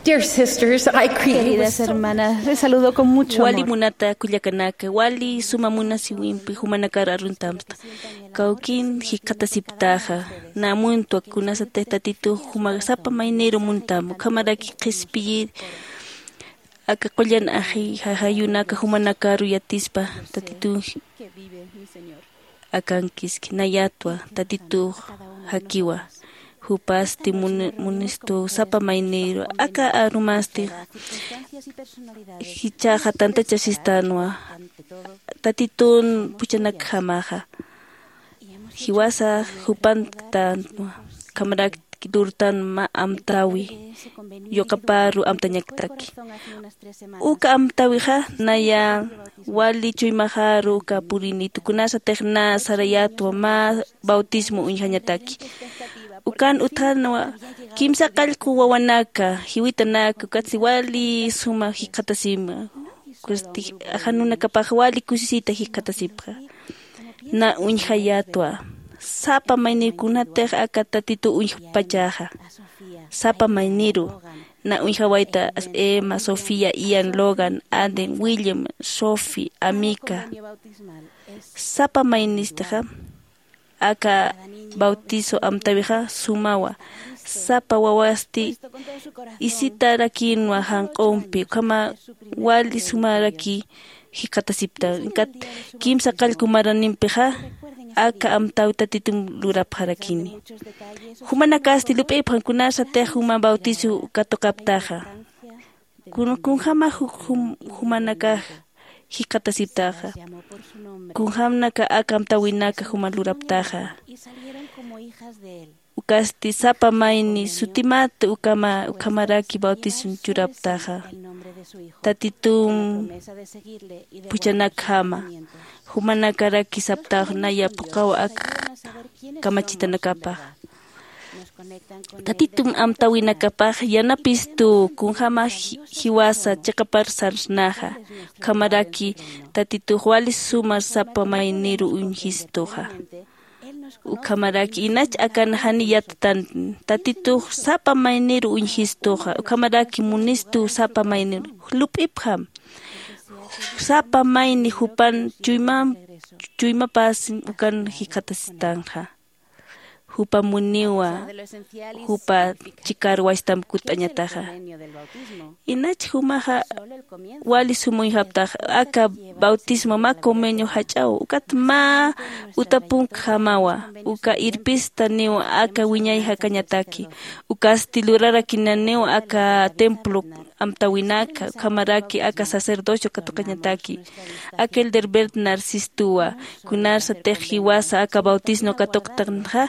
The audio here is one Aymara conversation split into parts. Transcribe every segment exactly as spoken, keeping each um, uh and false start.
Dear sisters, I greet you with Queridas so hermanas, les saludo con mucho amor. Wali munata kullakanaka, wali suma munasiwimpi jumanakar aruntamta. Kawkin jikxatasiptaxa, namuntwa kunasatix Tatitu juma sapa mayniru muntam, ukhamaraki qhispiyir aka qullan aji jajayunaka jumanakaru yatispa Tatitun akankiski, nayatwa Tatitux jakiwa. Jupasti mun- munistu sapa mayniru aka arumasti jichhaxa tantachasistanwa. Tatitun puchanakjamaxa jiwasa jupantanwa. Khamarak lurtan mä amtäwi yuqaparu amtañaktaki. Uka amtäwixa naya wali chuymaxaru uka purini tukunasatix na sarayatwa mä bautismo uñjañataki. Ukan utjanwa kimsa qallqu wawanaka jiwitanaka ukatsi wali suma jikxatasima. Jan unakapax wali kusisita jikxatasipxa. Na uñjayatwa sapa mayniru kunatix aka Tatitu uñjpachaxa. Sapa mayniru na uñjawayta: Emma, Sofía, Ian, Logan, Aden, William, Sophie, Amica. Sapa maynistixa aka bautizo amtäwixa sumawa. Sapa wawasti isitarakïnwa janq'umpi ukhama wali sumaraki jikxatasipta. Inkat kimsa qallqu maranimpixa aka amtäwi Tatitum lurapxarakini. Jumanakasti lup'ipxam kunasatix juma bautizo katuqaptaxa. Kun- kunjama ju- jum- jumanakax jikxatasiptaxa. Kunjamnaka aka amtäwinaka juma luraptaxa. Ukasti sapa mayni sutimata ukama ukhamaraki bautizo churaptaxa. Tatitum puchanakjama jumanakaraki saptax naya phuqhaw ak kamachitanakapax. Tatitum amtäwinakapax yanapistu kunjama ji- jiwasa chiqapar sarsnaxa. Ukhamaraki Tatitux wali sumar sapa mayniru uñjistuxa. Ukhamaraki inach akan jani yattan Tatitux sapa mayniru uñjistuxa. Ukhamaraki munistu sapa mayniru lup'ipxam. Sapa mayni jupan chuymam chuymapas ukan jikxatasitanxa. Jupa muniwa jupa chikar wasitamp kut'añataxa. Inach jumaxa wali sum uñjaptax aka bautismo mä convenio jach'aw ukat mä utapunkjamawa. Uka irpistaniw aka wiñay jakañataki. Ukasti lurarakinaniw aka templo amtäwinaka ukhamaraki aka sacerdocio katuqañataki. Aka elder Bernard sistuwa kunasatix jiwasa aka bautismo katuqtanxa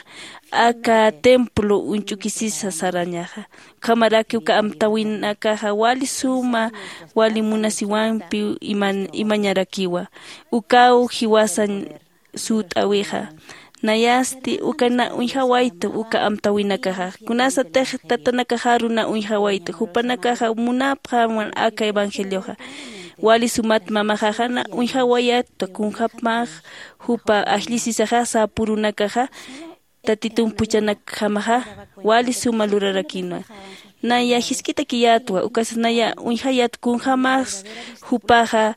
aka templo uñch'ukisisa sarañaxa. Ukhamaraki uka amtäwinakaxa wali suma wali munasiwampi iman- imañarakiwa. Ukaw jiwasañ suwt'äwixa. Nayasti uka na uñjawaytu uka amtäwinakaxa kunasatix tatanakaxaru na uñjawaytu jupanakaxa munapxämwan aka evangelioxa. Wali sumat mamaxaxa na uñjawayatwa kunjäpmax jupa ajllisisaxa säpürunakaxa Tatitump juchanakjamaxa wali suma lurarakinwa. Naya jisk'itakiyätwa ukasas naya uñjayät kunjämas jupaxa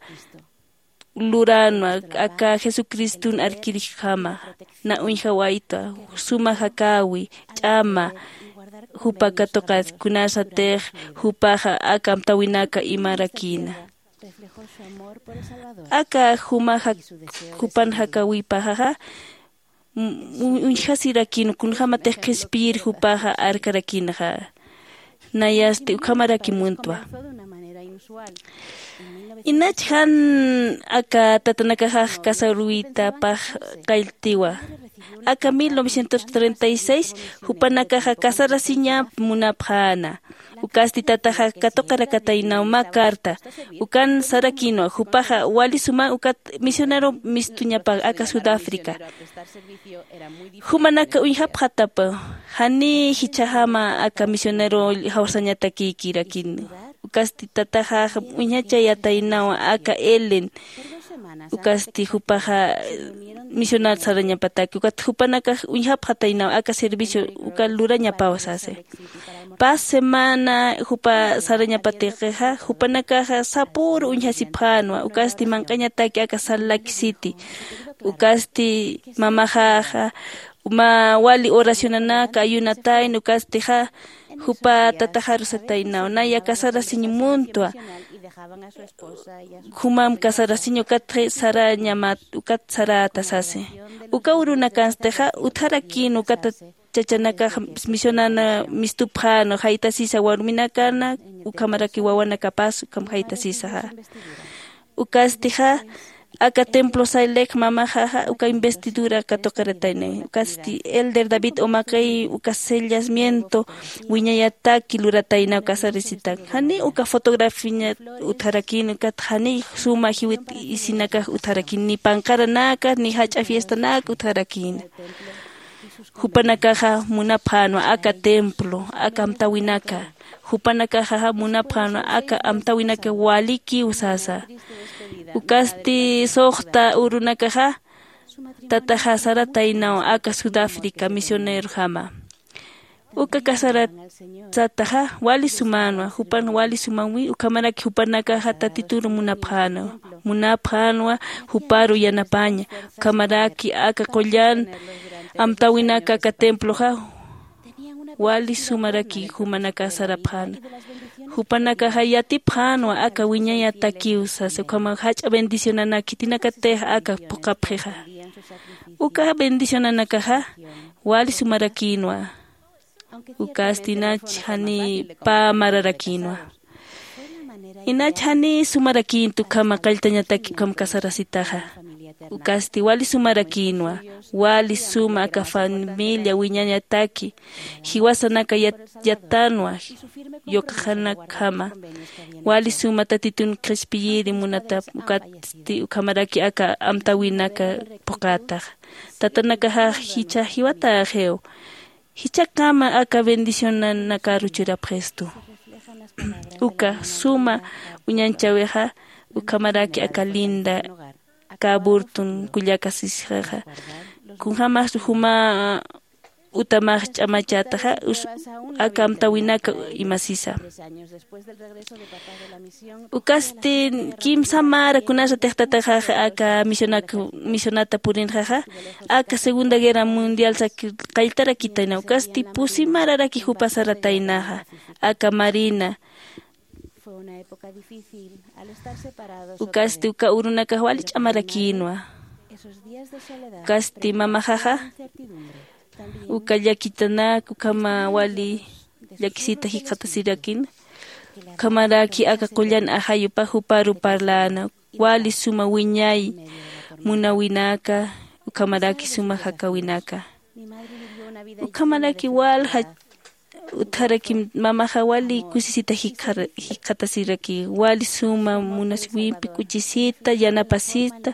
luränwa aka Jesucristun arkirjama. Na uñjawaytwa suma jakäwi ch'ama jupa katuqat kunasatix jupaxa aka amtäwinaka imarakïna. Aka juma jak- jupan jakäwipaxaxa uñjasirakin kunjämatix qhispiyir jupaxa arkarakïnxa. Nayasti ukhamaraki muntwa. Inach jan aka tatanakaxax casaruytapax qalltiwa. Aka mil novecientos treinta y seis jupanakaxa casarasiñap munapxäna. Ukasti tataxa katuqarakataynaw mä carta ukan sarakïnwa jupaxa wali suma ukat misionero mistuñapax aka Sudáfrica. Jumanaka uñjapxatapa janiy jichhaxama aka misionero jawsañatakïkirakin. Ukasti tataxax uñjachayataynawa aka Ellen. Ukasti jupaxa misionat sarañapataki ukat jupanakax uñjapxataynaw aka servicio uka lurañapaw sasi. Pas semana jupa sarañapatiqixa jupanakaxa sapüru uñjasipxänwa ukasti manq'añataki aka sal laki siti. Ukasti mamaxaxa mä wali oracionanaka ayunatayna ukastixa jupa tataxaru sataynaw naya casarasiñ muntwa. Jumam casarasiñ ukatxi sarañamat ukat saräta sasi. Uka urunakanstixa utjarakïn ukata chachanakax misionana mistupxänwa jaytasisa warminakana ukhamaraki wawanakapas ukham jaytasisaxa. Ukastixa aka templo saylek mamaxaxa uka investidura katuqirataynay ukasti elder david umaqiy uka sellamiento wiñayataki lurataynaw casarisitak jani uka fotografiñat utjarakïn ukat jani suma jiwit isinakax utjarakïn ni panqaranaka ni jach'a fiestanaka utjarakïna. Jupanakaxa munapxänwa aka templo aka amtäwinaka. Jupanakaxaxa munapxänwa aka amtäwinaka walikiw sasa. Ukasti suxta urunakaxa tataxa sarataynaw aka sudáfrica misionerojama. Uka casaratsataxa wali sumänwa jupan wali sumanwi ukhamaraki jupanakaxa tatituru munapxänwa. Munapxänwa juparu yanapaña ukhamaraki aka qullan amtäwinaka aka temploxa wali sumaraki jumanaka sarapxäna. Jupanakaxa yatipxänwa aka wiñayatakiw sasa ukhama jach'a bendicionanak khitinakatix aka phuqhapxixa. Uka bendicionanakaxa wali sumarakïnwa. Ukasti inach jani pä mararakïnwa. Inach jani sumarakïnta ukhama qalltañataki ukham casarasitaxa. Ukasti wali sumarakïnwa. Wali suma aka familia wiñañataki jiwasanaka yat- yattanwa yuqaxanakjama. Wali suma tatitun qhispiyiri munatap ukatsti ukhamaraki aka amtäwinaka phuqhätaxa. Tatanakaxax jichha jiwatäxiw. Jichhakama aka bendicionanakaru churapxistu. Uka suma uñañchäwixa ukhamaraki aka linda aka aburtun kullakasisxaxa. Kunjämax juma utamax ch'amachätaxa aka amtäwinaka imasisa. Ukasti kimsa mara kunasatix tataxaxa aka misionaka misionata purinxaxa aka segunda guerra mundial saki qalltarakitayna ukasti pusi mararaki jupa sarataynaxa. Aka marina ukasti uka urunakax wali ch'amarakïnwa. Ukasti mamaxaxa uka llakitanak ukhama wali llakisita jikxatasirakïna. Ukhamaraki aka qullan ajayupax juparu parläna wali suma wiñay munawinaka ukhamaraki suma jakäwinaka. Ukhamaraki walja utjarakim mamaxa wali kusisita jikxatasiraki wali suma munasiwimpi k'uchisita yanapasita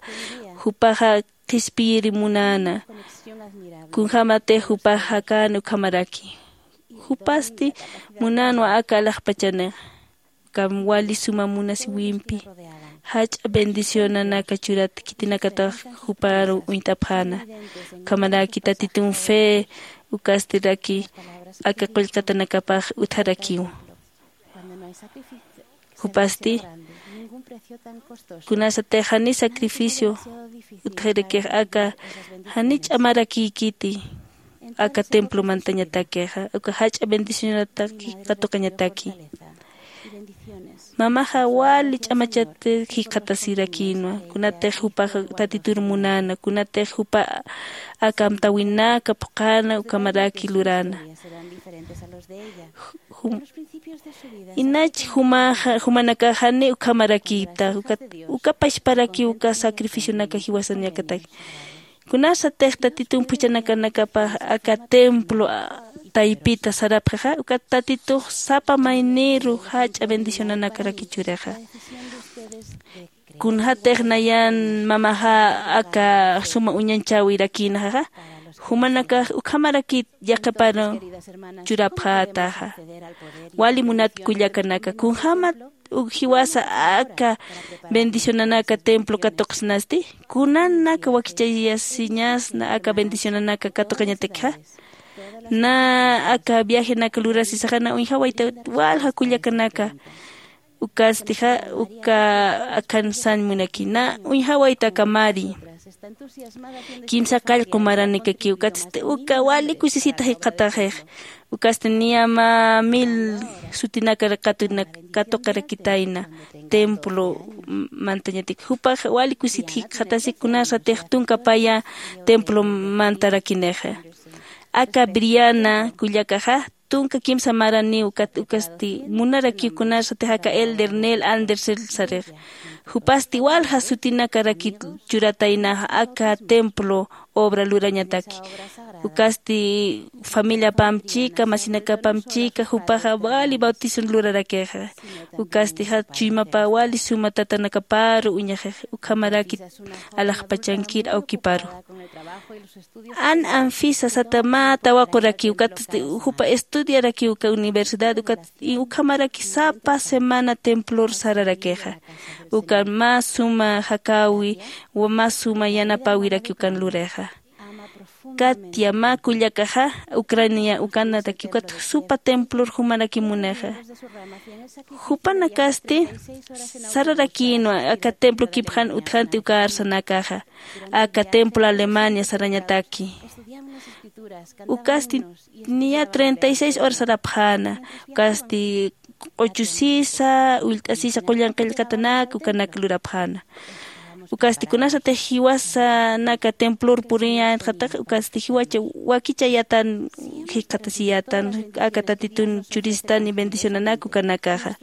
jupaxa qhispiyiri munäna. Kunjämatix jupax jakäna ukhamaraki jupasti munänwa aka alaxpachanixa. Ukham wali suma munasiwimpi jach'a bendicionanaka churat khitinakatax juparu uñt'apxäna. Ukhamaraki tatitun fe ukastiraki aka qullqatanakapax utjarakiw. Jupasti kunasatix jani sacrificio utjarakix aka jani ch'amarakïkiti aka templo mantañatakixa uka jach'a bendicionataki katuqañataki. Mamaxa wali ch'amachat jikxatasirakïnwa kunatix jupax tatitur munäna kunatix jupa aka amtäwinaka phuqhäna ukhamaraki luräna. Jum- inach jumaxa jumanakax jani ukhamarakïta uka pachparakiw uka sacrificionaka jiwasañakataki. Kunasatix tatitun phuchhanakanakapax aka templo taypita sarapxixa ukat tatitux sapa mayniru jach'a bendicionanakaraki churixa. Kunjatix nayan mamaxa aka suma uñañchäwirakïnaxaxa Jumanakax ukhamarakit yaqhiparu churapxätaxa. Wali munat kullakanaka, kunjämat jiwasa aka bendicionanaka templo katuqsinasti? Kunanaka wakichayasiñasna aka bendicionanaka katuqañatakxa? Na aka viajenaka lurasisaxa na uñjawayta walja kullakanaka. Ukastixa uka akhan sañ munaki na uñjawayta aka mari. Kimsa qallqu maranikakiw ukatsti uka wali kusisita jikxataxix. Ukasti niya mä mil sutinakar katuqarakitayna templo mantañatik jupax wali kusit jikxatasi kunasatix tunka paya templo mantarakinixa. Aka briana kullakaxa tunka kimsa maraniw ukat ukasti munarakiw kunasatix aka elder nel andersel sarix. Jupasti walja sutinakarakit churataynaxa aka templo obra lurañataki. Ukasti familiapamp chika masinakapamp chika jupaxa wali bautizon lurarakixa. Ukastixa chuymapa wali suma tatanakaparu uñaxix ukhamarakit alaxpachankir awkiparu. An anfisa sata mä tawaquraki ukat jupa estudiaraki uka universidad ukat ukhamaraki sapa semana templor sararakixa. Ukan mä suma jakäwi mä suma yanapäwiraki ukan lurixa. Katia mä kullakaxa ucrania ukanataki ukat supa templor jumaraki munixa. Jupanakasti sararakïnwa aka templo kipjan utjanti uka arsanakaxa. Aka templo alemania sarañataki. Ukasti niya treinta y seis horas sarapxäna. Ukasti q'uchusisa ullt'asisa qullan qillqatanak ukanak lurapxäna. Ukasti kunasatix jiwasanaka templor puriyätxatax ukasti jiwacha wakicha yatan jikxatasiyätan. Aka tatitun churistan bendicionanak ukanakaxa.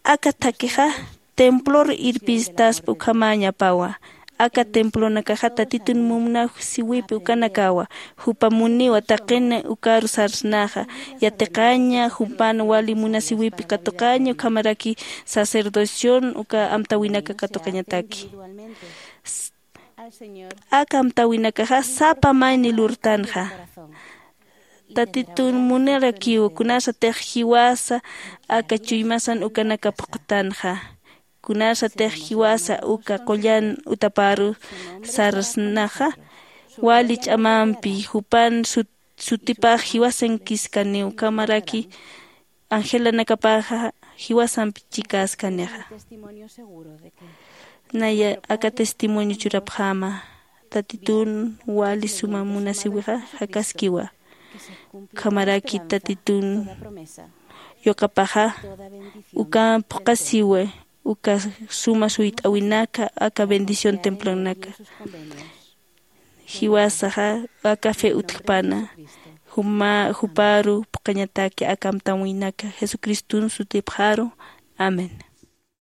Aka thakixa templor irpistaspa ukhamäñapawa. Aka templonakaxa tatitun mumnawjsiwipi ukanakawa. Jupa muniwa taqin ukaru sarsnaxa yatiqaña jupan wali munasiwipi katuqaña ukhamaraki sacerdocion uka amtäwinaka katuqañataki. Aka amtäwinakaxa sapa mayni lurtanxa. Tatitun munarakiw kunasatix jiwasa aka chuymasan ukanaka phuqtanxa. Kunasatix jiwasa uka qullan utaparu sarsnaxa wali ch'amampi jupan sutipax jiwasankiskaniw ukhamaraki angelanakapaxa jiwasampi chikäskanixa. Naya aka testimonio churapxäma tatitun wali suma munasiwixa jakaskiwa. Ukhamaraki tatitun yuqapaxa uka phuqasiwa uka suma suyt'äwinaka aka bendición templonaka. Jiwasaxa aka fe utjpana juparu phuqañataki aka amtäwinaka jesucristun sutipxaru. Amén.